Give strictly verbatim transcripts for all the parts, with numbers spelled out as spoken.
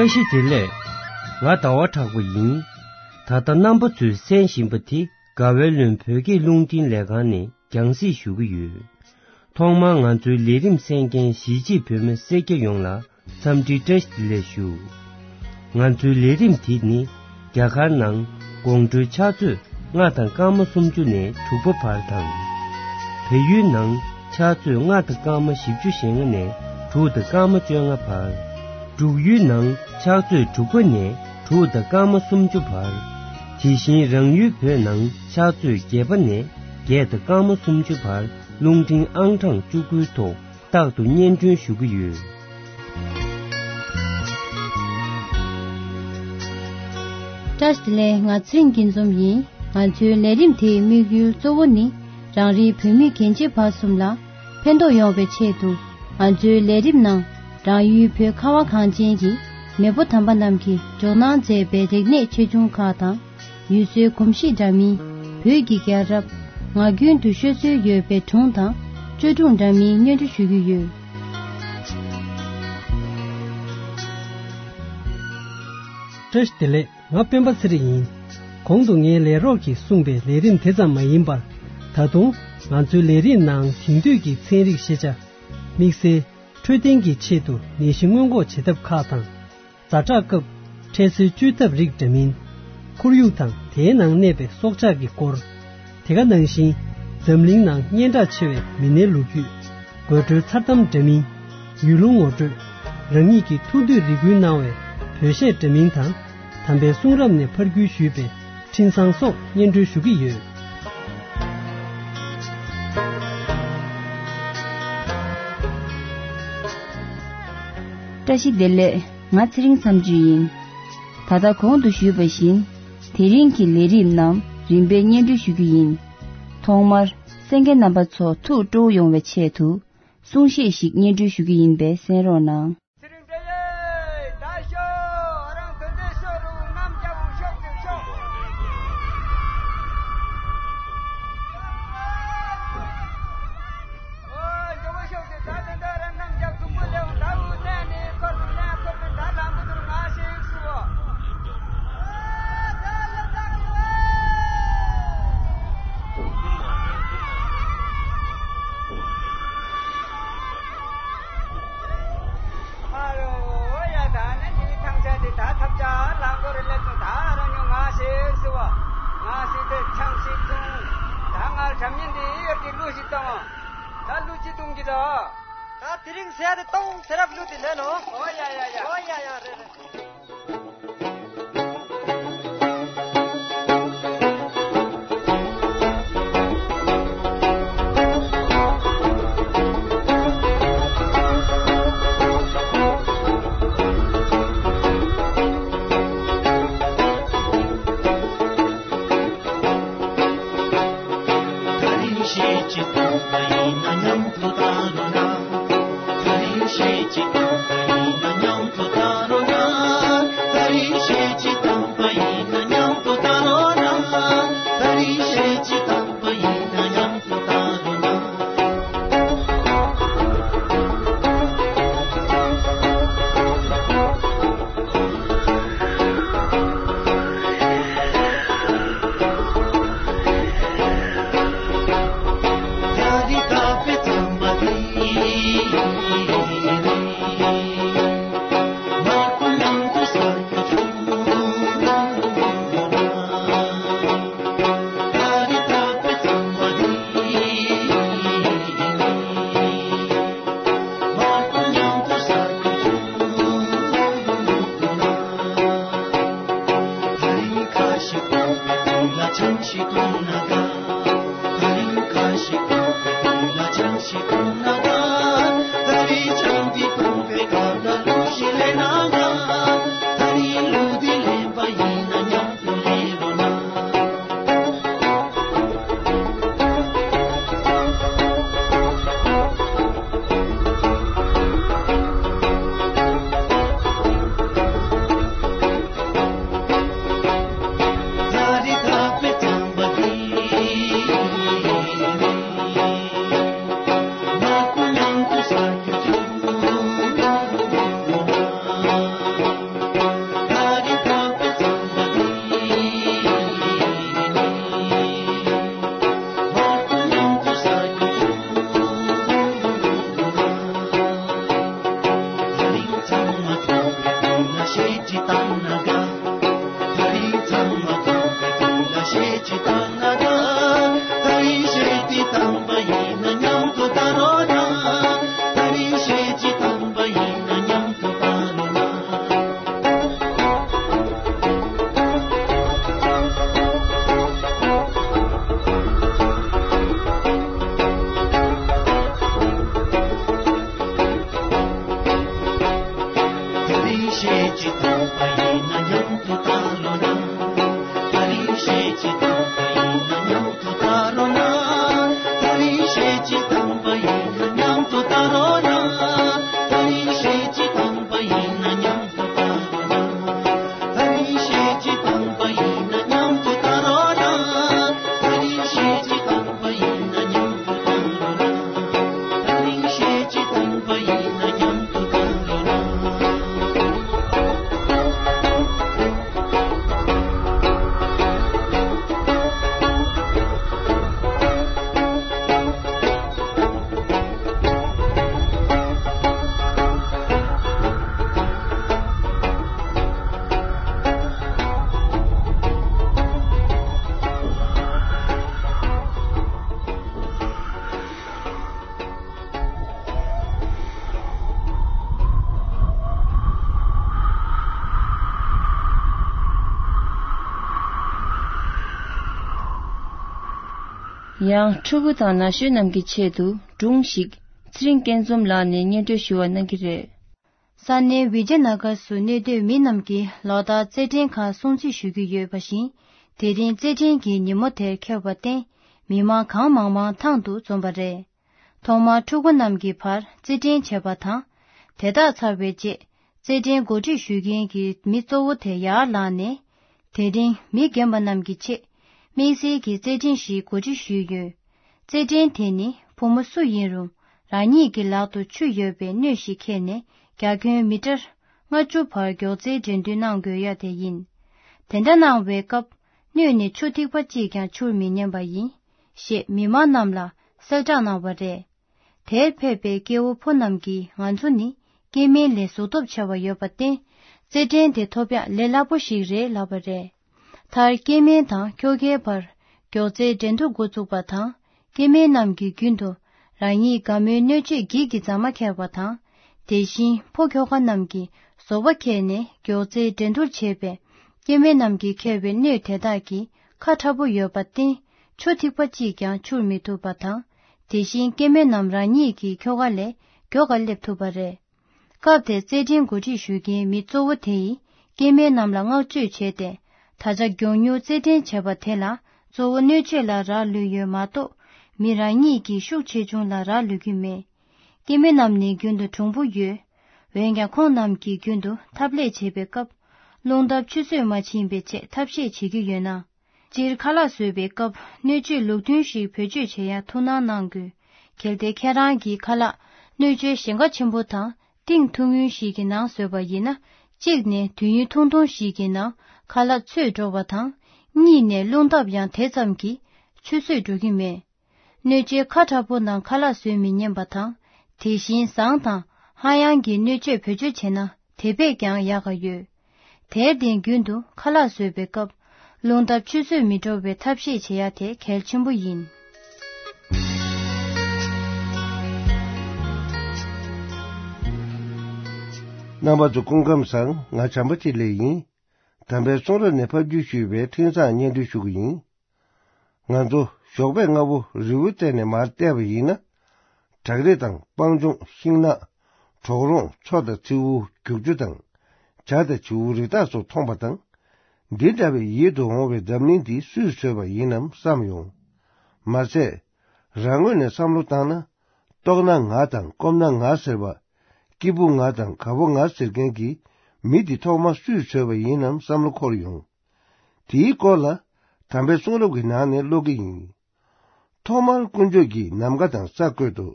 བཀྲ་ཤིས་བདེ་ལེགས། ང་ཟླ་བ་གྲགས་པ་ཡིན། ད་ལྟ་རྣམ་པ་ཚོས་གསན་བཞིན་པ་དེ་དགའ་བའི་ལུང་བོད་སྐད་རླུང་འཕྲིན་ལས་ཁང་ནས་རྒྱང་སྲིང་ཞུ་གི་ཡོད། ཐོག་མར་ང་ཚོའི་ལས་རིམ་གསན་མཁན་གཞིས་བྱེས་བོད་མི་སེར་སྐྱ་ཡོངས་ལ་འཚམས་འདྲི་བཀྲ་ཤིས་བདེ་ལེགས་ཞུ། ང་ཚོའི་ལས་རིམ་དེ་ནི་རྒྱ་གར་ནང་དགོང་དྲོའི་ཕྱག་ཚོད་ལྔ་དང་སྐར་མ་སུམ་ཅུ་ནས་དྲུག་པ་བར་དང་། བལ་ཡུལ་ནང་ཕྱག་ཚོད་ལྔ་དང་སྐར་མ་བཞི་བཅུ་ཞེ་ལྔ་ནས་དྲུག་དང་སྐར་མ་བཅོ་ལྔ་བར། འབྲུག་ཡུལ་ནང་ཕྱག་ཚོད་དྲུག་པ་ནས་དྲུག་དང་སྐར་མ་སུམ་ཅུ་བར། དེ་བཞིན་རང་ཡུལ་བོད་ནང་ཕྱག་ཚོད་བརྒྱད་པ་ནས་བརྒྱད་དང་སྐར་མ་སུམ་ཅུ་བར་རླུང་འཕྲིན་ཨང་གྲངས་བཅུ་དགུའི་ཐོག་རྟག་ཏུ་སྙན་སྒྲོན་ཞུ་གི་ཡོད། བཀྲ་ཤིས་བདེ་ལེགས། ང་ཚེ་རིང་སྐྱིད་འཛོམས་ཡིན། ང་ཚོའི་ལས་རིམ་དེའི་དམིགས་ཡུལ་གཙོ་བོ་ནི་རང་རེའི་བོད་མི་རྒན་བྱིས་བར་གསུམ་ལ་ཕན་ཐོགས་ཡོང་བའི་ཆེད་དུ། ང་ཚོའི་ལས་རིམ་ནང་རང་ཡུལ་བོད་ཁ་བ་གངས་ཅན་གྱི་མེས་པོ་དམ་པ་རྣམས་ཀྱིས་འཇོག་གནང་མཛད་པའི་རིག་གནས་ཆེ་ཆུང་ཁག་དང་། ཡུལ་སྲོལ་གོམས་གཤིས་འདྲ་མིན། བོད་ཀྱི་རྒྱལ་རབས། ངག་རྒྱུན་དུ་ཤོད་སྲོལ་ཡོད་པའི་སྒྲུང་དང་བཅོས་སྒྲུང་འདྲ་མིན་སྙན་སྒྲོན་ཞུ་གི་ཡོད། བཀྲ་ཤིས་བདེ་ལེགས། ང་སྤེན་པ་ཚེ་རིང་ཡིན། གོང་དུ་ངའི་ལས་རོགས་ཀྱིས་གསུངས་པའི་ལས་རིམ་དེ་ཙམ་མ་ཡིན་པར། ད་དུང་ང་ཚོའི་ལས་རིམ་ནང་དེང་དུས་ཀྱི་ཚན་རིག་ཤེས་བྱ། དམིགས་བསལ་འཕྲོད་བསྟེན་གྱི་ཆེད་དུ་ནད་གཞི་སྔོན་འགོག་བྱེད་ཐབས་ཁག་དང་། ཛ་དྲག་སྐབས་འཕྲལ་སེལ་བཅོས་ཐབས་རིགས་འདྲ་མིན། ཁོར་ཡུག་དང་དེའི་ནང་གནས་པའི་སྲོག་ཆགས་ཀྱི་སྐོར། དེ་ག་ནང་བཞིན་འཛམ་གླིང་ནང་སྙན་གྲགས་ཆེ་བའི་མི་སྣའི་ལོ་རྒྱུས། དགོད་བྲོའི་མཚར་གཏམ་འདྲ་མིན། ཡུལ་ལུང་ངོ་སྤྲོད། རང་ཉིད་ཀྱི་ཐུགས་འདོད་རེ་སྐུལ་གནང་བའི་བོད་གཞས་འདྲ་མིན་དང་། དམ་པའི་གསུང་རབ་ནས་ཕར་བརྒྱུད་ཞུས་པའི་འཕྲིན་བཟང་སོགས་སྙན་སྒྲོན་ཞུ་གི་ཡོད། བཀྲ་ཤིས་བདེ་ལེགས། ང་ཚེ་རིང་མཚམས་གཅོད་ཡིན། ད་ལྟ་གོང་དུ་ཞུས་པ་བཞིན། དེ་རིང་གི་ལས་རིམ་རྣམས་རིམ་པས་སྙན་སྒྲོན་ཞུ་རྒྱུ་ཡིན། ཐོག་མར་གསན་མཁན་རྣམ་པ་ཚོ་ཐུགས་སྤྲོ་བོ་ཡོང་བའི་ཆེད་དུ། གསུང་བཤད་ཞིག་སྙན་སྒྲོན་ཞུ་རྒྱུ་ཡིན་པས་གསན་རོགས་གནང་། ཚེ་རིང་བཀྲ་ཤིས། ད་ཤོག་ཨ་རང་དོན་དེ་ཤོག་རུ་གནམ་རྒྱལ་པོ་ཤོག་ཅིག་ཤོག་ཨོ་ཇོ་བོ་ཤོག་ཅིག་ད་དེ་འདྲ་ར་གནམ་རྒྱལ་དུག་པོ་ལེའུ་ད་རུ་གནས་ནི་འཁོར་དུ་གནས་འཁོར་དུ་ད་ལམ་བུ་དུར་ང་ཞིག་སུ་བོ། ཨ་རོ་ཡ་ད་ནི་འདི་ཐང་ཆ་འདི་ད་ཐབ་ཆ་ལང་གོ་རི་ལེ་ཚོ་ད་ར་ཉོ་ང་ཞེས་སི་བ་ང་ཞེས་དེ་ཆང་ཞིག་འཐུང་། ད་ང་དྲ་མིན་འདི་ཡོད་ཀྱི་གླུ་ཞིག་གཏོང་། ད་གླུ་ཅི་གཏོང་གི་ད། ད་དེ་རིང་ཟས་དེ་གཏོང་ཚེ་རབས་གླུ་དེ་ལེན་ནོ། ཨོ་ཡ་ཡ་ཡ། ཨོ་ཡ་ཡ་རེད་རེད། ཡང་ཕྲུ་གུ་དང་ན་གཞོན་རྣམས་ཀྱི་ཆེད་དུ་སྒྲུང་ཞིག་ཚེ་རིང་སྐྱིད་འཛོམས་ལགས་ནས་སྙན་སྒྲོན་ཞུ་བ་གནང་གི་རེད། ས་གནས་བི་ཇ་ན་གར་སུ་གནས་སྡོད་མི་རྣམས་ཀྱིས་ལོ་ལྟར་རྩེད་འགྲན་ཁག་སྲུང་བརྩི་ཞུ་གི་ཡོད་པ་བཞིན། དེ་རིང་རྩེད་འགྲན་གྱི་ཉིན་མོ་དེར་འཁེལ་བར་བརྟེན། མི་མང་གང་མང་མང་ཐང་དུ་འཛོམས་པ་རེད། ཐོག་མར་ཕྲུ་གུ་རྣམས་ཀྱི་བར་རྩེད་འགྲན་བྱས་པ་དང་། དེ་དག་ཚར་བའི་རྗེས། རྩེད་འགྲན་གོ་སྒྲིག་ཞུ་མཁན་གྱི་མི་གཙོ་བོ་དེ་ཡར་ལངས་ནས། དེ་རིང་མི་རྒན་པ་རྣམས་ཀྱི་ཆེད། དམིགས་བསལ་གྱི་རྩེད་འགྲན་ཞིག་གོ་སྒྲིག་ཞུས་ཡོད། རྩེད་འགྲན་དེ་ནི་བུ་མོ་སུ་ཡིན་རུང་། རང་ཉིད་ཀྱི་ལག་ཏུ་ཆུ་ཡོད་པའི་སྣོད་ཞིག་འཁྱེར་ནས། རྒྱ་ཁྱོན་མི་ཊར་ལྔ་བཅུ་བར་མགྱོགས་རྩལ་འགྲན་བསྡུར་གནང་དགོས་ཡ་དེ་ཡིན། དེ་འདྲ་གནང་བའི་སྐབས། སྣོད་ནས་ཆུ་ཐིགས་པ་གཅིག་ཀྱང་འཕྱུར་མི་ཉན་པ་ཡིན། ཞེས་མི་མང་རྣམས་ལ་གསལ་བསྒྲགས་གནང་བ་རེད། དེར་ཕེབས་པའི་སྐྱེ་བོ་ཕོ་རྣམས་ཀྱིས་ང་ཚོ་ནི་སྐྱེ་དམན་ལས་གཟུགས་སྟོབས་ཆེ་བ་ཡོད་པར་བརྟེན། རྩེད་འགྲན་དེ་ཐོབ་ཡག་ལས་སླ་པོ་ཞིག་རེད་ལབ་པ་རེད། མཐར་སྐྱེ་དམན་དང་ཁྱོ་གའི་བར་མགྱོགས་རྩལ་འགྲན་བསྡུར་འགོ་བཙུགས་པ་དང་། སྐྱེ་དམན་རྣམས་ཀྱིས་རྒྱུན་དུ་རང་ཉིད་དགའ་མོའི་སྣོད་སྤྱོད་འགྱིག་གི་རྫ་མ་འཁྱེར་བ་དང་། དེ་བཞིན་ཕོ་ཁྱོ་ག་རྣམས་ཀྱིས་བཟོ་པ་འཁྱེར་ནས་མགྱོགས་རྩལ་འགྲན་བསྡུར་བྱེད་པས། སྐྱེ་དམན་རྣམས་ཀྱིས་འཁྱེར་བའི་སྣོད་དེ་དག་གིས་ཁ་ཁྲ་པོ་ཡོད་པར་བརྟེན། ཆུ་ཐིགས་པ་གཅིག་ཀྱང་འཕྱུར་མི་ཐུབ་པ་དང་། དེ་བཞིན་སྐྱེ་དམན་རྣམས་རང་ཉིད་ཀྱི་ཁྱོ་ག་ལས་མགྱོགས་པར་སླེབས་ཐུབ་པ་རེད། སྐབས་དེར་རྩེད་འགྲན་གོ་སྒྲིག་ཞུ་མཁན་མི་གཙོ་བོ་དེ་ཡིས་སྐྱེ་དམན་རྣམས་ལ་བསྔགས་བརྗོད་བྱས་ཏེ། ད་ཆ་མགྱོགས་མྱུར་རྩེད་འགྲན་བྱས་པ་དེ་ལ་གཙོ་བོ་སྣོད་བཅུད་ལ་རག་ལུས་ཡོད་མ་གཏོགས། མི་རང་ཉིད་ཀྱི་ཤུགས་ཆེ་ཆུང་ལ་རག་ལུས་ཀྱི་མེད། སྐྱེ་དམན་རྣམས་ནི་རྒྱུན་དུ་གྲུང་པོ་ཡོད། འོན་ཀྱང་ཁོང་རྣམས་ཀྱིས་རྒྱུན་དུ་ཐབ་ལས་བྱེད་པའི་སྐབས། རླུང་ལྟབ་ཆུད་ཟོས་མ་ཕྱིན་པའི་ཆེད་ཐབས་ཤེས་བྱེད་ཀྱི་ཡོད་ན། སྤྱིར་ཁ་ལག་བཟོས་པའི་སྐབས་སྣོད་བཅུད་ལུགས་མཐུན་ཞིག་བེད་སྤྱོད་བྱེད་ཡ་ཐུགས་སྣང་གནང་དགོས། གལ་ཏེ་ཁྱེད་རང་གིས་ཁ་ལག་སྣོད་བཅུད་ཞེང་ཁ་ཆེན་པོ་དང་གཏིང་ཐུང་ངུ་ཞིག་གི་ནང་བཟོས་པ་ཡིན་ན། གཅིག་ནས་དུས་ཡུན་ཐུང་ཐུང་ཞིག་གི་ནང་ཁ་ལག་ཚོས་འགྲོ་བ་དང་། གཉིས་ནས་རླུང་ལྟབ་ཡང་དེ་ཙམ་གྱིས་ཆུད་ཟོས་འགྲོ་གི་མེད། སྣོད་བཅུད་ཁ་དྲག་པོ་ནང་ཁ་ལག་བཟོས་མི་ཉན་པ་དང་། དེ་བཞིན་ཟངས་དང་ཧ་ཡང་གི་སྣོད་བཅུད་བེད་སྤྱོད་བྱས་ན་དེ་བས་ཀྱང་ཡག་ག་ཡོད། དེར་བརྟེན་རྒྱུན་དུ་ཁ་ལག་བཟོས་པའི་སྐབས། རླུང་ལྟབ་ཆུད་ཟོས་མི་འགྲོ་བའི་ཐབས་ཤེས་བྱེད་ཡ་དེ་གལ་ཆེན་པོ་ཡིན། རྣམ་པ་ཚོ་སྐུ་ཁམས་བཟང་། ང་བྱམས་པ་ཆེ་ལེགས་ཡིན། དམ་པའི་གསུང་རབ་ནས་ཕབ་བསྒྱུར་ཞུས་པའི་འཕྲིན་བཟང་སྙན་སྒྲོན་ཞུ་གི་ཡིན། ང་ཚོ་ཞོགས་པའི་སྔ་པོ་རི་བོའི་རྩེ་ནས་མར་བལྟས་པ་ཡིན་ན། བྲག་རི་དང་སྤང་ལྗོངས། ཤིང་ནགས། གྲོག་རོང་། མཚོ་དང་མཚེའུ། རྒྱུག་ཆུ་དང་། བྱ་དང་བྱིའུ་རི་དྭགས་སོགས་མཐོང་པ་དང་། འདི་འདྲ་བའི་ཡིད་དུ་འོང་བའི་འཛམ་གླིང་འདི་སུས་བཟོས་པ་ཡིན་ནམ་བསམ་ཡོང་། མ་ཟད། རང་ངོས་ནས་བསམ་བློ་བཏང་ན། ལྟོགས་ན་ངར་དང་སྐོམ་ན་ངར་ཟེར་བ། སྐྱིད་པོ་ངར་དང་དགའ་པོ་ངར་ཟེར་མཁན་གྱི་མི་འདི་ཐོག་མ་སུས་བཟོས་པ་ཡིན་ནམ་བསམ་བློ་འཁོར་ཡོང་། དེའི་སྐོར་ལ་དམ་པའི་གསུང་རབ་ཀྱི་ནང་ནས་ཀློག་གི་ཡིན། ཐོག་མར་དཀོན་མཆོག་གིས་ནམ་མཁའ་དང་ས་བཀོད་དོ།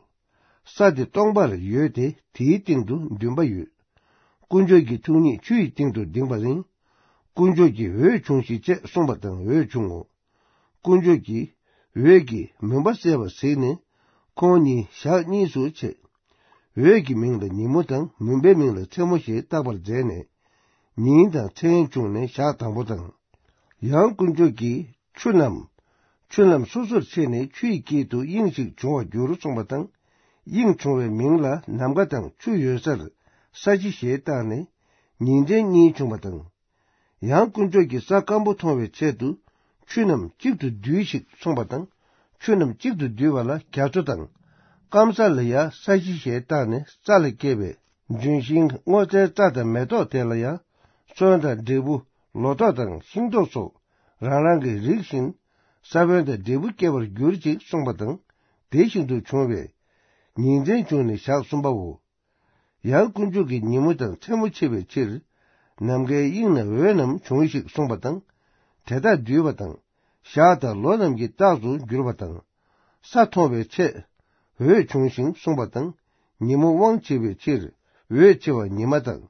ས་དེ་སྟོང་པར་ཡོད་དེ་དེའི་སྟེང་དུ་འདུན་པ་ཡོད། དཀོན་མཆོག་གི་ཐུགས་ཉིད་ཆུ་ཡི་སྟེང་དུ་ལྡིང་བ་ཡིན། དཀོན་མཆོག་གིས་འོད་བྱུང་ཞིག་ཅེས་གསུངས་པ་དང་འོད་བྱུང་ངོ་། དཀོན་མཆོག་གིས་འོད་ཀྱིས་མུན་པ་བསལ་བར་གཟིགས་ནས་ཁོང་གཉིས་ཞག་གཉིས་སུ་ཕྱེ། འོད་ཀྱི་མིང་ལ་ཉིན་མོ་དང་མུན་པའི་མིང་ལ་མཚན་མོ་ཞེས་བཏགས་པར་མཛད་ནས། ཉིན་དང་མཚན་བྱུང་ནས་ཞག་དང་པོ་དང་། ཡང་དཀོན་མཆོག་གིས་ཆུ་རྣམས་ཆུ་རྣམས་སོ་སོར་ཕྱེ་ནས་ཆུ་ཡི་དཀྱིལ་དུ་དབྱིངས་ཤིག་འབྱུང་བར་འགྱུར་གསུངས་པ་དང་། དབྱིངས་བྱུང་བའི་མིང་ལ་ནམ་མཁའ་དང་ཆུ་ཡོད་སར་ས་གཞི་ཞེས་བཏགས་ནས་ཉིན་མཚན་གཉིས་བྱུང་བ་དང་། ཡང་དཀོན་མཆོག་གིས་ས་སྐམ་པོ་མཐོང་བའི་ཆེད་དུ་ཆུ་རྣམས་གཅིག་ཏུ་བསྡུས་ཤིག་གསུངས་པ་དང་། ཆུ་རྣམས་གཅིག་ཏུ་བསྡུས་པ་ལ་རྒྱ་མཚོ་དང་། སྐམ་ས་ལ་ཡང་ས་གཞི་ཞེས་བཏགས་ནས་རྩྭ་ལས་སྐྱེས་པའི་ལྗོན་ཤིང་སྔོ་ཚལ་རྩྭ་དང་མེ་ཏོག་དེ་ལ་ཡང་སོན་དང་འབྲས་བུ་ལོ་ཏོག་དང་ཤིང་ཏོག་སོགས་རང་རང་གི་རིགས་བཞིན་ས་བོན་དང་འབྲས་བུ་སྐྱེ་བར་གྱུར་ཅིག་གསུངས་པ་དང་། དེ་བཞིན་དུ་བྱུང་བས་ཉིན་མཚན་བྱུང་ནས་ཞག་གསུམ་པའོ། ཡང་དཀོན་མཆོག་གིས་ཉིན་མོ་དང་མཚན་མོ་ཕྱེ་བའི་ཕྱིར། ནམ་མཁའི་དབྱིངས་ན་འོད་རྣམས་བྱུང་ཞིག་གསུངས་པ་དང་། དེ་དག་བསྡུས་པ་དང་། ཞག་དང་ལོ་རྣམས་ཀྱི་རྟགས་སུ་གྱུར་པ་དང་། ས་མཐོང་བའི་ཚེ། འོད་བྱུང་ཞིང་གསུངས་པ་དང་། ཉིན་མོ་དབང་བྱེད་པའི་ཕྱིར། འོད་ཆེ་བ་ཉི་མ་དང་།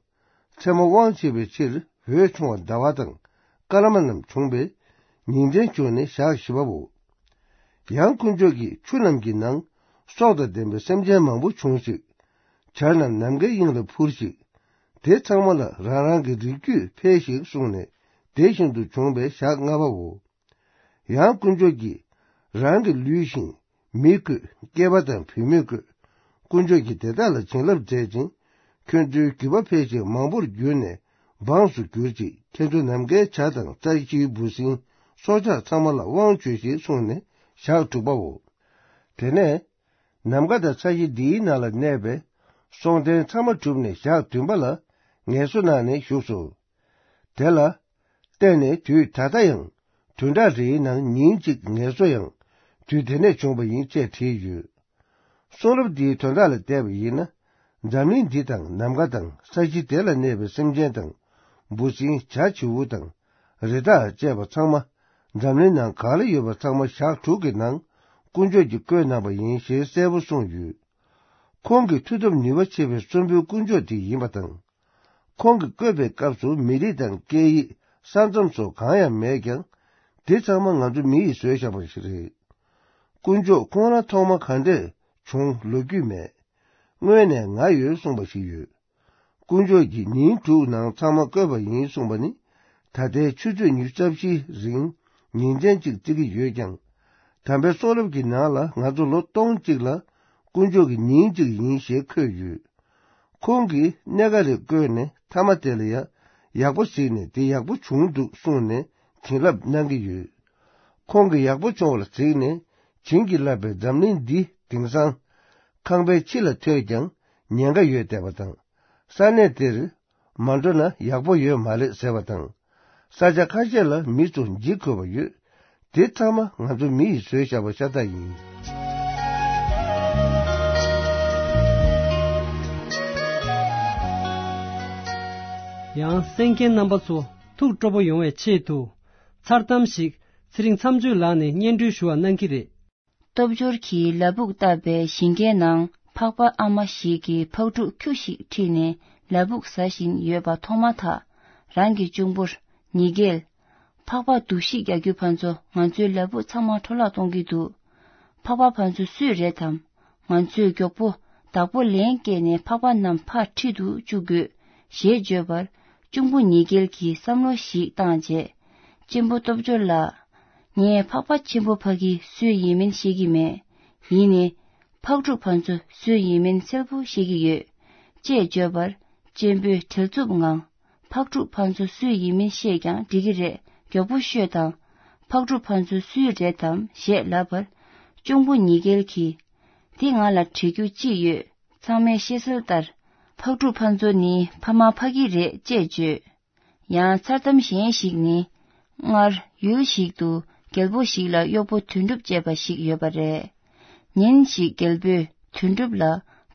མཚན་མོ་དབང་བྱེད་པའི་ཕྱིར། འོད་ཆུང་བ་ཟླ་བ་དང་། སྐར་མ་རྣམས་བྱུང་བས། ཉིན་མཚན་བྱུང་ནས་ཞག་བཞི་པའོ། ཡང་དཀོན་མཆོག་གིས་ཆུ་རྣམས་ཀྱི་ནང་སྲོག་དང་ལྡན་པའི་སེམས་ཅན་མང་པོ་འབྱུང་ཞིག་བྱ་རྣམས་ནམ་མཁའི་དབྱིངས་ལ་འཕུར་ཞིག་དེ་ཚང་མ་ལ་རང་རང་གི་རིགས་རྒྱུད་འཕེལ་ཞིག་གསུངས་ནས་དེ་བཞིན་དུ་བྱུང་བའི་ཞག་ལྔ་པའོ། ཡང་དཀོན་མཆོག་གིས་རང་གི་ལུས་ཤིང་མི་བཀོད། སྐྱེས་པ་དང་བུད་མེད་བཀོད། དཀོན་མཆོག་གིས་དེ་དག་ལ་བྱིན་རླབས་མཛད་ཅིང་། ཁྱོད་ཚོའི་རྒྱུད་པ་འཕེལ་ཞིང་མང་པོར་གྱུར་ནས་འབངས་སུ་གྱུར་ཅིག་ཁྱེད་ཚོ་ནམ་མཁའི་བྱ་དང་རྩྭ་ཤིང་འབུ་སྲིན་སྲོག་ཆགས་ཚང་མ་ལ་དབང་བྱོས་ཤིག་གསུངས་ནས་ ཞག་དྲུག་པའོ། དེ་ནས་ནམ་མཁའ་དང་ས་གཞི་འདིའི་ནང་ལ་གནས་པའི་སྲོང་ལྡན་ཚང་མ་གྲུབ་ནས་ཞག་བདུན་པ་ལ་ངལ་གསོ་གནང་ནས་བཞུགས་སོ། དེ་ལ་བརྟེན་ནས་དུས་ད་ལྟ་ཡང་བདུན་ཕྲག་རེའི་ནང་ཉིན་གཅིག་ངལ་གསོ་ཡང་དུས་དེ་ནས་བྱུང་བ་ཡིན་ཅེས་བྲིས་ཡོད། གསུང་རབ་འདིའི་དོན་དག་ལ་བལྟས་པ་ཡིན་ན། འཛམ་གླིང་འདི་དང་ནམ་མཁའ་དང་ས་གཞི་དེ་ལ་གནས་པའི་སེམས་ཅན་དང་འབུ་སྲིན་བྱ་བྱིའུ་དང་རི་དྭགས་བཅས་པ་ཚང་མ། འཛམ་གླིང་ནང་གང་ལ་ཡོད་པ་ཚང་མ་ཞག་དྲུག་གི་ནང་དཀོན་མཆོག་གིས་བཀོད་གནང་པ་ཡིན་ཞེས་གསལ་པོ་གསུངས་ཡོད། ཁོང་གི་མཐུ་སྟོབས་ནུས་པ་ཆེ་བའི་གསོན་པོའི་དཀོན་མཆོག་དེ་ཡིན་པ་དང་། ཁོང་གིས་བཀོད་པའི་སྐབས་སུ་མི་རིགས་དང་སྐད་ཡིག་ས་མཚམས་སོགས་གང་ཡང་མེད་ཀྱང་། དེ་ཚང་མ་ང་ཚོ་མི་ཡིས་བཟོས་བཞག་པ་ཞིག་རེད། དཀོན་མཆོག་ཁོང་རང་ཐོག་མ་ག་འདྲས་བྱུང་ལོ་རྒྱུས་མེད། སྔོན་ནས་ང་ཡོད་གསུངས་པ་ཞིག་ཡོད། དཀོན་མཆོག་གིས་ཉིན་དྲུག་ནང་ཚང་མ་བཀོད་པ་ཡིན་གསུངས་པ་ནི། ད་ལྟའི་ཆུ་ཚོད་ཉི་ཤུ་རྩ་བཞིའི་རིང་ཉིན་མཚན་གཅིག་བརྩི་གི་ཡོད་ཀྱང་། དམ་པའི་གསུང་རབ་ཀྱི་ནང་ལ་ང་ཚོ་ལོ་སྟོང་གཅིག་ལ་དཀོན་མཆོག་གི་ཉིན་གཅིག་ཡིན་ཞེས་འཁོད་ཡོད། ཁོང་གིས་གནས་ག་རེ་བཀོད་ནས་མཐའ་མ་དེ་ལ་ཡང་ཡག་པོ་གཟིགས་ནས་དེ་ཡག་པོ་བྱུང་འདུག་གསུངས་ནས་བྱིན་རླབས་གནང་གི་ཡོད། ཁོང་གིས་ཡག་པོ་བྱུང་བ་ལ་གཟིགས་ནས་བྱིན་གྱིས་བརླབས་པའི་འཛམ་གླིང་འདི་དེང་སང་ཁང་པའི་ཕྱི་ལ་ཐོས་ཀྱང་ཉེན་ཁ་ཡོད་བསྡད་པ་དང་། ས་གནས་དེར་མ་འགྲོ་ན་ཡག་པོ་ཡོད་མ་རེད་ཟེར་བ་དང་། ས་ཆ་ཁ་ཤས་ལ་མི་ཚོ་འཇིགས་དགོས་པ་ཡོད། དེ་ཚང་མ་ང་ཚོ་མི་ཡིས་བཟོས་བཞག་པ་ཤ་སྟག་ཡིན། ཡང་གསན་མཁན་རྣམ་པ་ཚོ་ཐུགས་སྤྲོ་པོ་ཡོང་བའི་ཆེད་དུ། མཚར་གཏམ་ཞིག་ཚེ་རིང་མཚམས་གཅོད་ལགས་ནས་སྙན་སྒྲོན་ཞུ་བ་གནང་གི་རེད། སྟོབས་འབྱོར་གྱིས་ལ་ཕུག་བཏབ་པའི་ཞིང་ཁའི་ནང་ཕག་པ་ཨ་མ་ཞིག་གིས་ཕག་ཕྲུག་ཁྱུ་ཞིག་ཁྲིད་ནས་ལ་ཕུག་ཟ་བཞིན་ཡོད་པ་མཐོང་མ་ཐག་རང་གི་གཅུང་པོར། ཉི་རྒྱལ། ཕག་པ་སྡུག་ཤི་རྒྱག་རྒྱུ་ཕར་ཚུར་ང་ཚོའི་ལ་ཕུག་ཚང་མ་འཕྲོ་བརླག་གཏོང་གི་འདུག་ཕག་པ་ཕར་ཚུར་སུས་རེད་དམ། ང་ཚོས་མགྱོགས་པོ་བདག་པོ་ལན་བསྐྱལ་ནས་ཕག་པ་རྣམས་ཕར་ཁྲིད་དུ་བཅུག་དགོས། ཞེས་བརྗོད་པར། གཅུང་པོ་ཉི་རྒྱལ་གྱིས་བསམ་བློ་ཞིག་བཏང་རྗེས། གཅེན་པོ་སྟོབས་འབྱོར་ལགས། ངས་ཕག་པ་ཆེན་པོ་ཕ་གི་སུའི་ཡིན་མིན་ཤེས་ཀྱི་མེད། ཡིན་ནའི། ཕག་ཕྲུག་ཕར་ཚུར་སུའི་ཡིན་མིན་གསལ་པོ་ཤེས་ཀྱི་ཡོད། ཅེས་བརྗོད་པར། གཅེན་པོས་བྲེལ་འཚུབ་ངང་། ཕག་ཕྲུག་ཕར་ཚུར་སུའི་ཡིན་མིན་ཤེས་ཀྱང་འགྲིག་གི་རེད། མགྱོགས་པོ་ཤོད་དང་། ཕག་ཕྲུག་ཕར་ཚུར་སུའི་རེད་དམ་ཞེས་ལབ་པར། གཅུང་པོ་ཉི་རྒྱལ་གྱིས། འདི་ང་ལ་དྲི་རྒྱུ་ཅི་ཡོད། ཚང་མས་ཤེས་གསལ་ལྟར། ཕག་ཕྲུག་ཕར་ཚུར་ནི་ཕ་མ་ཕ་གི་རེད་ཅེས་བརྗོད། ཡང་མཚར་གཏམ་གཞན་ཞིག་ནི། སྔར་ཡུལ་ཞིག་ཏུ་རྒྱལ་པོ་ཞིག་ལ་གཡོག་པོ་དོན་གྲུབ་ཅེས་པ་ཞིག་ཡོད་པ་རེད། ཉིན་ཞིག་རྒྱལ་པོས་དོན་གྲུབ་ལ་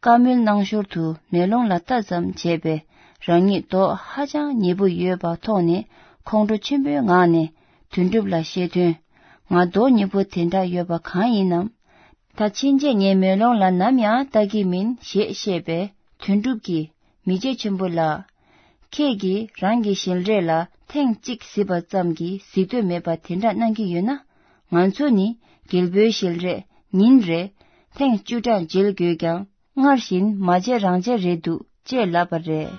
བཀའ་མོལ་གནང་ཞོར་དུ་མེ་ལོང་ལ་ལྟ་ཙམ་བྱས་པས་རང་ཉིད་མདོག་ཧ་ཅང་ཉེས་པོ་ཡོད་པ་མཐོང་ནས་ཁོང་ཁྲོ་ཆེན་པོའི་ངང་ནས་དོན་གྲུབ་ལ་བཤད་དོན། ང་མདོག་ཉེས་པོ་དེ་འདྲ་ཡོད་པ་གང་ཡིན་ནམ། ད་ཕྱིན་ཆད་ངས་མེ་ལོང་ལ་ནམ་ཡང་ལྟ་གི་མིན་ཞེས་བཤད་པས་དོན་གྲུབ་ཀྱིས། མི་རྗེ་ཆེན་པོ་ལགས། ཁྱེད་ཀྱིས་རང་གི་ཞལ་རས་ལ་ཐེངས་གཅིག་གཟིགས་པ་ཙམ་གྱིས་གཟིགས་འདོད་མེད་པ་དེ་འདྲ་གནང་གི་ཡོད་ན། ང་ཚོ་ནི་རྒྱལ་པོའི་ཞལ་རས་ཉིན་རེ་ཐེངས་བཅུ་ཕྲག་མཇལ་དགོས་ཀྱང་སྔར་བཞིན་མ་མཇལ་རང་མཇལ་རེད་འདུག་ཅེས་ལབ་པ་རེད།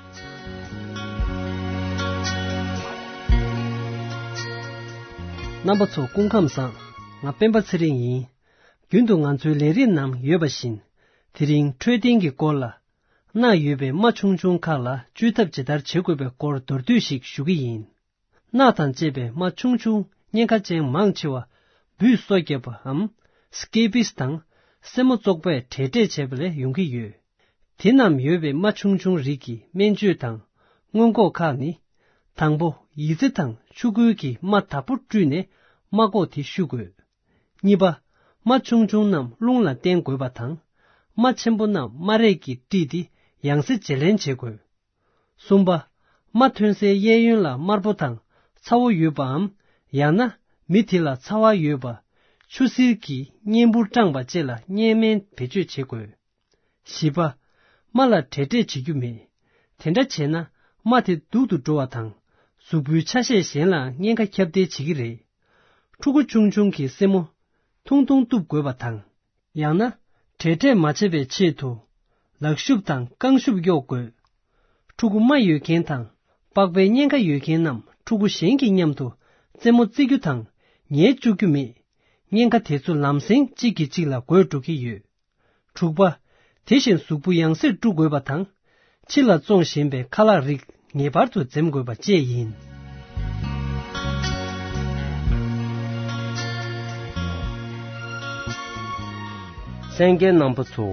རྣམ་པ་ཚོ་སྐུ་ཁམས་བཟང་། ང་སྤེན་པ་ཚེ་རིང་ཡིན། རྒྱུན་དུ་ང་ཚོའི་ལས་རིམ་ནང་ཡོད་པ་བཞིན། དེ་རིང་འཕྲོད་བསྟེན་གྱི་སྐོར་ལ། རྣག་ཡོད་པའི་རྨ་ཆུང་ཆུང་ཁག་ལ་བཅོས་ཐབས་ཇི་ལྟར་བྱེད་དགོས་པའི་སྐོར་མདོར་བསྡུས་ཤིག་ཞུ་གི་ཡིན། རྣག་དང་བཅས་པའི་རྨ་ཆུང་ཆུང་གཉན་ཁ་ཅན་མང་ཆེ་བ་འབུས་སོ་བརྒྱབ་པའམ་སྐེ་པིས་དང་སེན་མོ་བཙོག་པས་འབྲད་འབྲད་བྱས་པ་ལས་ཡོང་གི་ཡོད། དེ་རྣམས་ཡོད་པའི་རྨ་ཆུང་ཆུང་རིགས་ཀྱི་སྨན་བཅོས་དང་སྔོན་འགོག་ཁག་ནི། དང་པོ་ཡི་ཙི་དང་ཆུ་ཁོལ་གྱིས་རྨ་དག་པོ་བཀྲུས་ནས་རྨ་ཀོག་དེ་བཤུ་དགོས། གཉིས་པ། རྨ་ཆུང་ཆུང་རྣམས་རླུང་ལ་བསྟན་དགོས་པ་དང་། རྨ་ཆེན་པོ་རྣམས་རྨ་རས་ཀྱིས་དཀྲིས་ཏེ་ཡང་སེ་བརྗེ་ལེན་བྱེད་དགོས། གསུམ་པ། རྨ་ཐོན་སའི་གཡས་གཡོན་ལ་དམར་པོ་དང་ཚ་བོ་ཡོད་པའམ། ཡང་ན་མི་དེ་ལ་ཚ་བ་ཡོད་པ། ཆུ་སེར་གྱིས་གཉན་འབུར་སྐྲངས་པ་བཅས་ལ་གཉན་སྨན་བེད་སྤྱོད་བྱེད་དགོས། བཞི་པ། རྨ་ལ་འབྲད་འབྲད་བྱེད་རྒྱུ་མེད། དེ་འདྲ་བྱས་ན་རྨ་དེ་སྡུག་ཏུ་འགྲོ་བ་དང་། གཟུགས་པོའི་ཆ་ཤས་གཞན་ལའང་གཉན་ཁ་ཁྱབ་གདལ་བྱེད་ཀྱི་རེད། ཕྲུ་གུ་ཆུང་ཆུང་གི་སེན་མོ་ཐུང་ཐུང་གཏུབ་དགོས་པ་དང་། ཡང་ན་འབྲད་འབྲད་མ་བྱེད་པའི་ཆེད་དུ་ལག་ཤུབས་དང་རྐང་ཤུབས་གཡོག་དགོས། ཕྲུ་གུ་རྨ་ཡོད་མཁན་དང་པགས་པའི་གཉན་ཁ་ཡོད་མཁན་རྣམས་ཕྲུ་གུ་གཞན་གྱི་མཉམ་དུ་རྩེད་མོ་རྩེ་རྒྱུ་དང་ཉལ་བཅུག་རྒྱུ་མེད། གཉན་ཁ་དེ་ཚོ་ལམ་སེང་གཅིག་གིས་གཅིག་ལ་འགོས་འགྲོ་གི་ཡོད། དྲུག་པ། དེ་བཞིན་གཟུགས་པོ་ཡང་སེ་བཀྲུ་དགོས་པ་དང་། ཕྱི་ལ་བཙོང་བཞིན་པའི་ཁ་ལག་རིགས་ངེས་པར་དུ་འཛེམ་དགོས་པ་བཅས་ཡིན། གསན་མཁན་རྣམ་པ་ཚོ།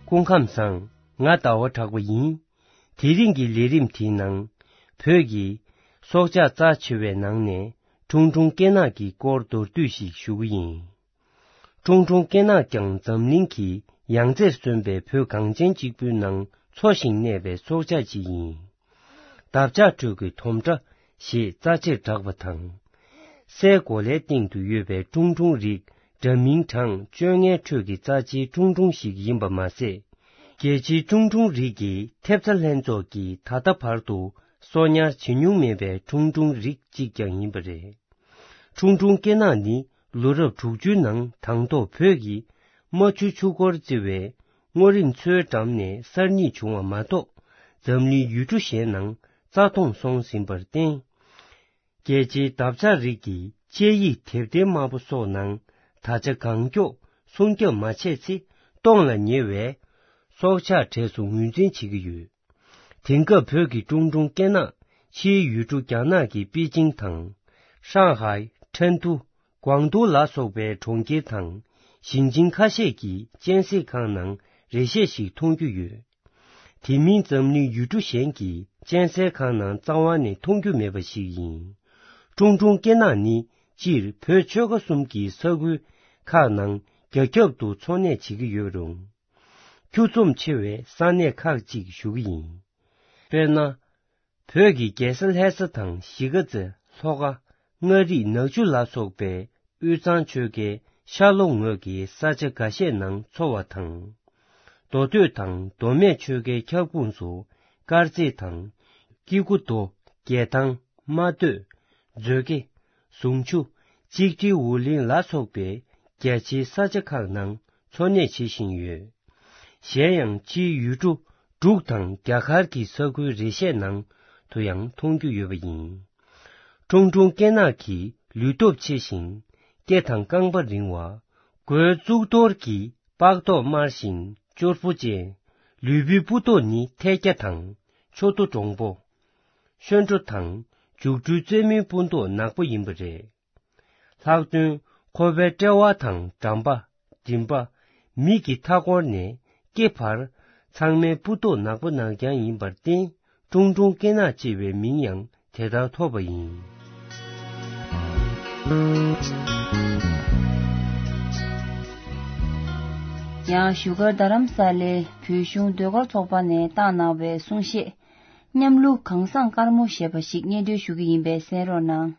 སྐུ་ཁམས་བཟང་། ང་ཟླ་བ་གྲགས་པ་ཡིན། དེ་རིང་གི་ལས་རིམ་དེའི་ནང་། བོད་ཀྱི་སྲོག་ཆགས་རྩ་ཆེ་བའི་ནང་ནས་ཁྲུང་ཁྲུང་སྐེ་ནག་གི་སྐོར་མདོར་བསྡུས་ཤིག་ཞུ་གི་ཡིན། ཁྲུང་ཁྲུང་སྐེ་ནག་ཀྱང་འཛམ་གླིང་གི་ཡང་རྩེར་སོན་པའི་བོད་གངས་ཅན་གཅིག་པུའི་ནང་འཚོ་ཞིང་གནས་པའི་སྲོག་ཆགས་ཅིག་ཡིན། འདབ་ཆགས་ཁྲོད་ཀྱི་དོམ་ཁྲ་ཞེས་རྩ་ཆེར་གྲགས་པ་དང་། སའི་གོ་ལའི་སྟེང་དུ་ཡོད་པའི་ཁྲུང་ཁྲུང་རིགས་འདྲ་མིན་གྲངས་བཅོ་ལྔའི་ཁྲོད་ཀྱི་རྩ་ཆེའི་ཁྲུང་ཁྲུང་ཞིག་ཡིན་པ་མ་ཟད། རྒྱལ་སྤྱིའི་ཁྲུང་ཁྲུང་རིགས་ཀྱི་ཐེབས་རྩ་ལྷན་ཚོགས་ཀྱིས་ད་ལྟ་བར་དུ་གསོ་ཉར་བྱེད་མྱོང་མེད་པའི་ཁྲུང་ཁྲུང་རིགས་གཅིག་ཀྱང་ཡིན་པ་རེད། ཁྲུང་ཁྲུང་སྐེ་ནག་ནི་ལོ་རབས་དྲུག་ཅུའི་ནང་དང་ཐོག་བོད་ཀྱི་རྨ་ཆུ་ཆུ་འགོར་བརྩི་བའི་སྔོ་རིང་མཚོའི་འགྲམ་ནས་གསར་རྙེད་བྱུང་བ་མ་གཏོགས། འཛམ་གླིང་ཡུལ་གྲུ་གཞན་ནང་རྩ་སྟོངས་སོང་ཟིན་པར་བརྟེན། རྒྱལ་སྤྱིའི་འདབ་ཆགས་རིགས་ཀྱི་དཔྱད་ཡིག་དེབ་ཐེར་དམར་པོ་སོགས་ནང་ད་ཆ་གང་མགྱོགས་སྲུང་སྐྱོབ་མ་བྱས་ཚེ་སྟོངས་ལ་ཉེ་བའི་སྲོག་ཆགས་གྲས་སུ་ངོས་འཛིན་བྱེད་ཀྱི་ཡོད། དེང་སྐབས་བོད་ཀྱི་ཁྲུང་ཁྲུང་སྐེ་ནག་ཕྱིའི་ཡུལ་གྲུ་རྒྱ་ནག་གི་པེ་ཅིང་དང་། ཧྲང་ཧའེ། ཁྲེན་ཏུའུ། ཀོང་ཏུའུ་ལ་སོགས་པའི་གྲོང་ཁྱེར་དང་ཞིང་ཆེན་ཁ་ཤས་ཀྱི་གཅན་གཟན་ཁང་ནང་རེ་ཤས་ཤིག་མཐོང་རྒྱུ་ཡོད། དེ་མིན་འཛམ་གླིང་ཡུལ་གྲུ་གཞན་གྱི་གཅན་གཟན་ཁང་ནང་རྩ་བ་ནས་མཐོང་རྒྱུ་མེད་པ་ཞིག་ཡིན། ཁྲུང་ཁྲུང་སྐེ་ནག་ནི་སྤྱིར་བོད་ཆོལ་ཁ་གསུམ་གྱི་ས་ཁུལ་ཁག་ནང་རྒྱ་ཁྱབ་ཏུ་འཚོ་གནས་བྱེད་ཀྱི་ཡོད་རུང་། ཁྱུ་འཛོམས་ཆེ་བའི་ས་གནས་ཁག་ཅིག་ཞུ་གི་ཡིན། དཔེར་ན། བོད་ཀྱི་རྒྱལ་ས་ལྷ་ས་དང་གཞིས་ཀ་རྩེ། ལྷོ་ཁ། མངའ་རིས། ནག་ཆུ་ལ་སོགས་པའི་དབུས་གཙང་ཆོལ་ཁའི་ཤར་ལྷོ་ངོས་ཀྱི་ས་ཆ་འགའ་ཤས་ནང་འཚོ་བ་དང་། མདོ་སྟོད་དང་མདོ་སྨད་ཆོལ་ཁའི་ཁྱབ་ཁོངས་སུ་དཀར་མཛེས་དང་། སྐྱེ་རྒུ་མདོ། རྒྱལ་ཐང་། རྨ་སྟོད། མཛོད་དགེ། ཟུང་ཆུ། གཅིག་སྒྲིལ། འུ་ལེན་ལ་སོགས་པའི་རྒྱ་ཆེའི་ས་ཆ་ཁག་ནང་འཚོ་གནས་བྱེད་བཞིན་ཡོད། གཞན་ཡང་ཕྱིའི་ཡུལ་གྲུ་འབྲུག་དང་རྒྱ་གར་གྱི་ས་ཁུལ་རེ་ཤས་ནང་དུ་ཡང་མཐོང་རྒྱུ་ཡོད་པ་ཡིན། ཁྲུང་ཁྲུང་སྐེ་ནག་གི་ལུས་སྟོབས་ཆེ་ཞིང་སྐེ་དང་རྐང་པ་རིང་བ། མགོའི་གཙུག་ཏོར་གྱི་པགས་མདོག་དམར་ཞིང་ཅོར་བུ་ཅན། ལུས་པོའི་སྤུ་མདོག་ནི་ཐལ་སྐྱ་དང་མཆུ་ཏོ་འདྲོང་པོ། གཤོག་སྒྲོ་དང་མཇུག་སྒྲོའི་རྩེ་མོའི་སྤུ་མདོག་ནག་པོ་ཡིན་པ་རེད། ལྷག་དོན་ཁོ་པའི་དཔྲལ་བ་དང་འགྲམ་པ། མགྲིན་པ། མིག་གི་མཐའ་འཁོར་ནས་སྐེ་བར་ཚང་མའི་སྤུ་མདོག་ནག་པོ་ནག་རྐྱང་ཡིན་པར་བརྟེན། ཁྲུང་ཁྲུང་སྐེ་ནག་ཅེས་པའི་མིང་ཡང་དེ་ལྟར་ཐོབ་པ་ཡིན། ཡང་བཞུགས་སྒར་རྡ་རམ་ས་ལའི་བོད་གཞུང་ཟློས་གར་ཚོགས་པ་ནས་བཏང་གནང་བའི་གསུང་བཤད། མཉམ་གླུ་གངས་བཟང་དཀར་མོ་ཞེས་པ་ཞིག་སྙན་སྒྲོན་ཞུ་གི་ཡིན་པས་གསན་རོགས་གནང་།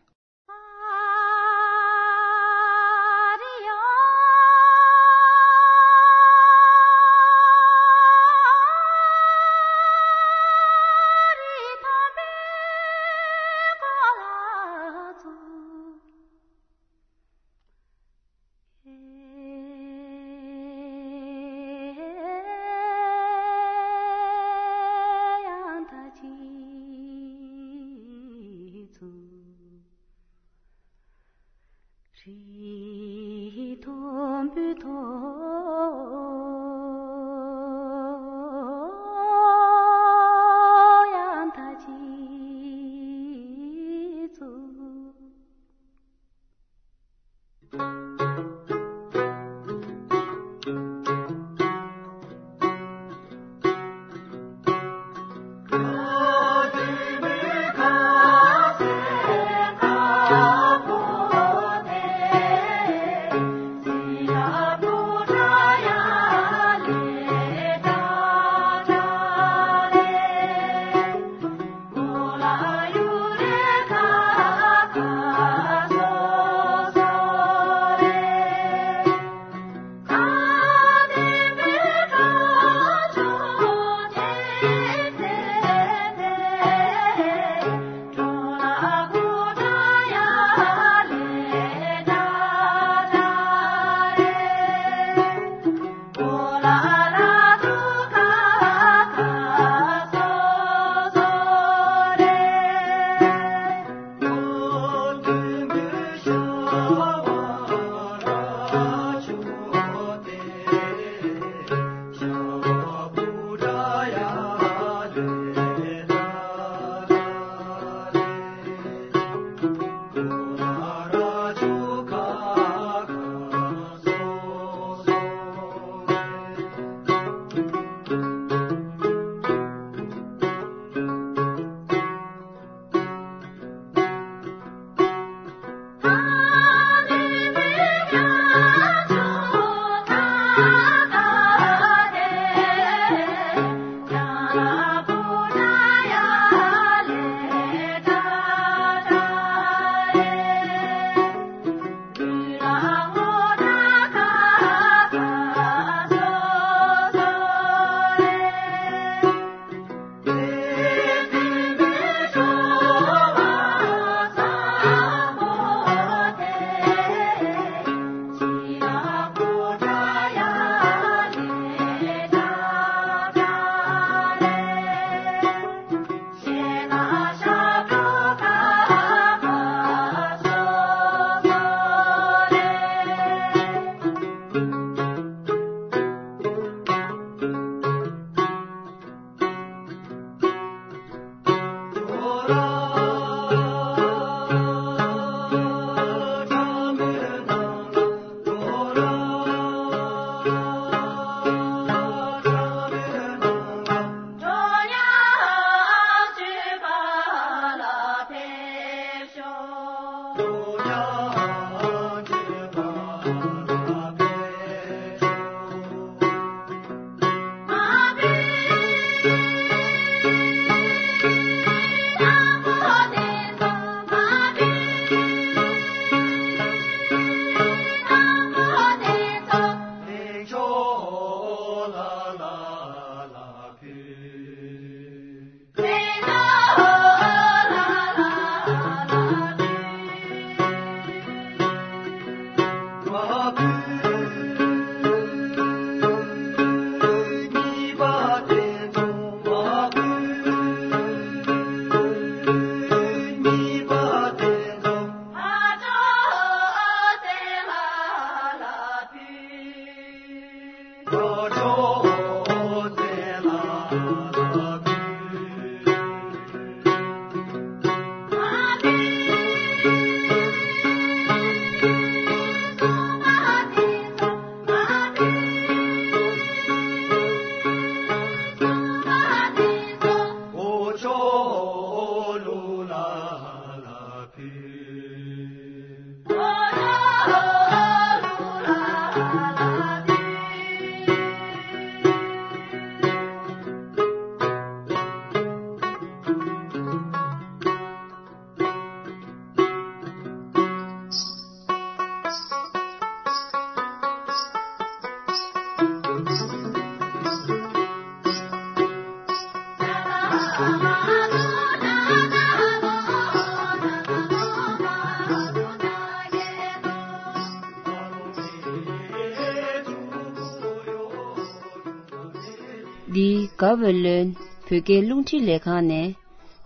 འདི་ག་བོད་ལོན་བོད་སྐད་རླུང་འཕྲིན་ལས་ཁང་ནས་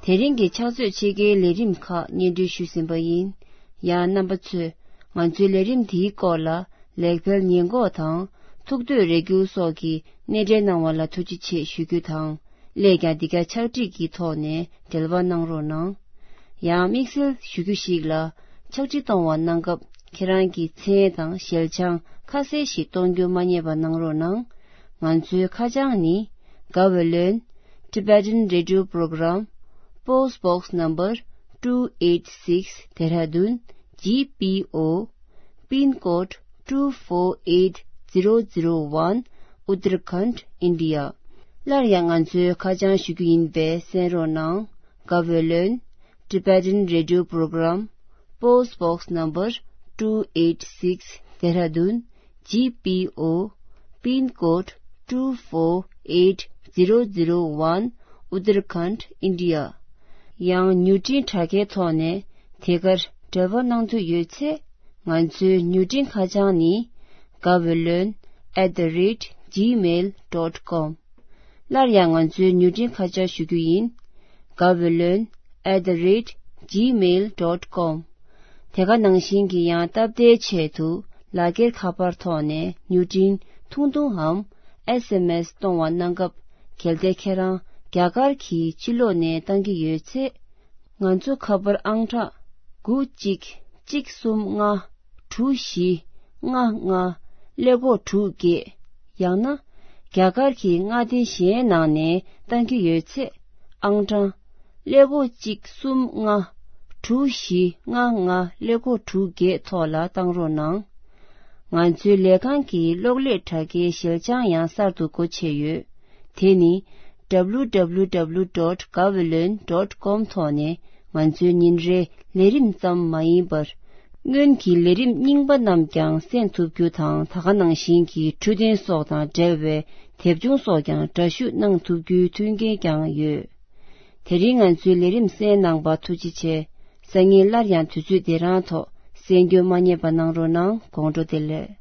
དེ་རིང་གི་ཕྱག་ཚོད་ཕྱེད་ཀའི་ལས་རིམ་ཁག་སྙན་སྒྲོན་ཞུས་ཟིན་པ་ཡིན། ཡང་རྣམ་པ་ཚོས་ང་ཚོའི་ལས་རིམ་འདིའི་སྐོར་ལ་ལེགས་སྤེལ་ཉེས་འགོག་དང་ཐུགས་འདོད་རེ་སྐུལ་སོགས་ཀྱི་སྣེ་འདྲེན་གནང་བ་ལ་ཐུགས་རྗེ་ཆེ་ཞུ་རྒྱུ་དང་། སླད་ཀྱང་འདི་ག་ཕྱག་བྲིས་ཀྱི་ཐོག་ནས་འབྲེལ་བ་གནང་རོགས་གནང་། ཡང་དམིགས་བསལ་ཞུ་རྒྱུ་ཞིག་ལ། ཕྱག་བྲིས་གཏོང་བ་གནང་སྐབས་ཁྱེད་རང་གི་མཚན་དང་ཞལ་བྱང་ཁ་གསལ་ཞིག་གཏོང་རྒྱུ་མ་བསྙེལ་བ་གནང་རོགས་གནང་། ང་ཚོའི་ཁ་བྱང་ནི། Gaweylon Tibetan Radio Program, Post Box Number two eight six, Dehradun G P O, Pin Code two four eight zero zero one, Uttarakhand, India. སླར་ཡང་ང་ཚོའི་ཁ་བྱང་ཞུ་རྒྱུ་ཡིན་པས་གསན་རོགས་གནང་། Gaweylon Tibetan Radio Program, Post Box Number two eight six, Dehradun G P O, Pin Code two four eight zero zero one, Uttarakhand, India. ཡང་མྱུར་འཕྲིན་དྲ་རྒྱའི་ཐོག་ནས་དེ་གར་འབྲེལ་བ་གནང་འདོད་ཡོད་ཚེ། ང་ཚོའི་མྱུར་འཕྲིན་ཁ་བྱང་ནི། Gaweylon at the rate gmail dot com. སླར་ཡང་ང་ཚོའི་མྱུར་འཕྲིན་ཁ་བྱང་ཞུ་རྒྱུ་ཡིན། Gaweylon at the rate gmail dot com. དེ་ག་ནང་བཞིན་གྱི་ཡང་སྟབས་བདེའི་ཆེད་དུ་ལག་འཁྱེར་ཁ་པར་ཐོག་ནས་མྱུར་འཕྲིན་ཐུང་ཐུང་འམ་S M S གཏོང་བ་གནང་སྐབས། གལ་ཏེ་ཁྱེད་རང་རྒྱ་གར་གྱི་ཕྱི་ལོགས་ནས་བཏང་གི་ཡོད་ཚེ། ང་ཚོ་ཁ་པར་ཨང་གྲངས་དགུ་གཅིག་གཅིག་གསུམ་ལྔ་དྲུག་བཞི་ལྔ་ལྔ་ཀླད་ཀོར་དྲུག་བརྒྱད། ཡང་ན་རྒྱ་གར་གྱི་མངའ་སྡེ་གཞན་ནང་ནས་བཏང་གི་ཡོད་ཚེ། ཨང་གྲངས་ཀླད་ཀོར་གཅིག་གསུམ་ལྔ་དྲུག་བཞི་ལྔ་ལྔ་ཀླད་ཀོར་དྲུག་བརྒྱད་ཐོག་ལ་བཏང་རོགས་གནང་། ང་ཚོའི་ལས་ཁང་གི་གློག་ཀླད་དྲ་རྒྱའི་ཞལ་བྱང་ཡང་གསར་དུ་སྒོ་ཕྱེ་ཡོད། དེ་ནི། W W W dot gaweylon dot com ཐོག་ནས་ང་ཚོའི་ཉིན་རེའི་ལས་རིམ་ཙམ་མ་ཡིན་པར། སྔོན་གྱི་ལས་རིམ་རྙིང་པ་རྣམས་ཀྱང་གསན་ཐུབ་རྒྱུ་དང་། ད་ག་ནང་བཞིན་གྱི་འཕྲོད་བསྟེན་སོགས་དང་འབྲེལ་བའི་དེབ་ཆུང་སོགས་ཀྱང་འདྲ་བཤུས་གནང་ཐུབ་རྒྱུའི་མཐུན་རྐྱེན་ཀྱང་ཡོད། དེ་རིང་ང་ཚོའི་ལས་རིམ་གསན་གནང་བར་ཐུགས་རྗེ་ཆེ། སང་ཉིན་སླར་ཡང་དུས་ཚོད་འདི་རང་ཐོག་གསན་རྒྱུ་མ་བསྙེལ་བ་གནང་རོགས་གནང་། དགོང་དྲོ་བདེ་ལེགས།